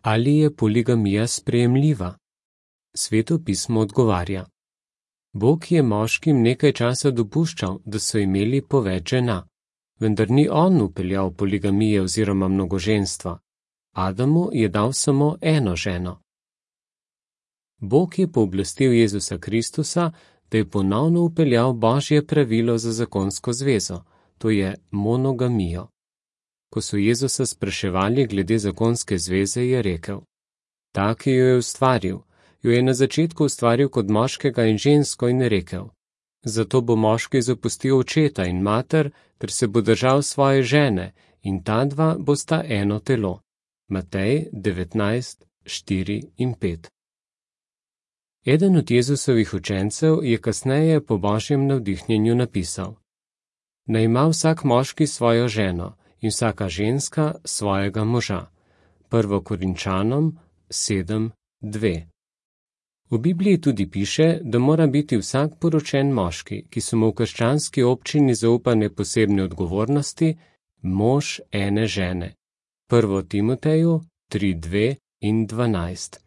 Ali je poligamija sprejemljiva? Sveto pismo odgovarja: Bog je moškim nekaj časa dopuščal, da so imeli po več žena, vendar ni on vpeljal poligamije oziroma mnogoženstva. Adamu je dal samo eno ženo. Bog je pooblastil Jezusa Kristusa, da je ponovno vpeljal Božje pravilo za zakonsko zvezo, to je monogamijo. Ko so Jezusa spraševali glede zakonske zveze, je rekel: Ta, ki jo je ustvaril, jo je na začetku ustvaril kot moškega in žensko in rekel: Zato bo moški zapustil očeta in mater, ter se bo držal svoje žene, in ta dva bosta eno telo. Matej 19, 4 in 5. Eden od Jezusovih učencev je kasneje po Božjem navdihnjenju napisal: Naj ima vsak moški svojo ženo in vsaka ženska svojega moža. 1. Korinčanom 7, 2. V Bibliji tudi piše, da mora biti vsak poročen moški, ki so mu v krščanski občini zaupane posebne odgovornosti, mož ene žene. 1. Timoteju 3, 2 in 12.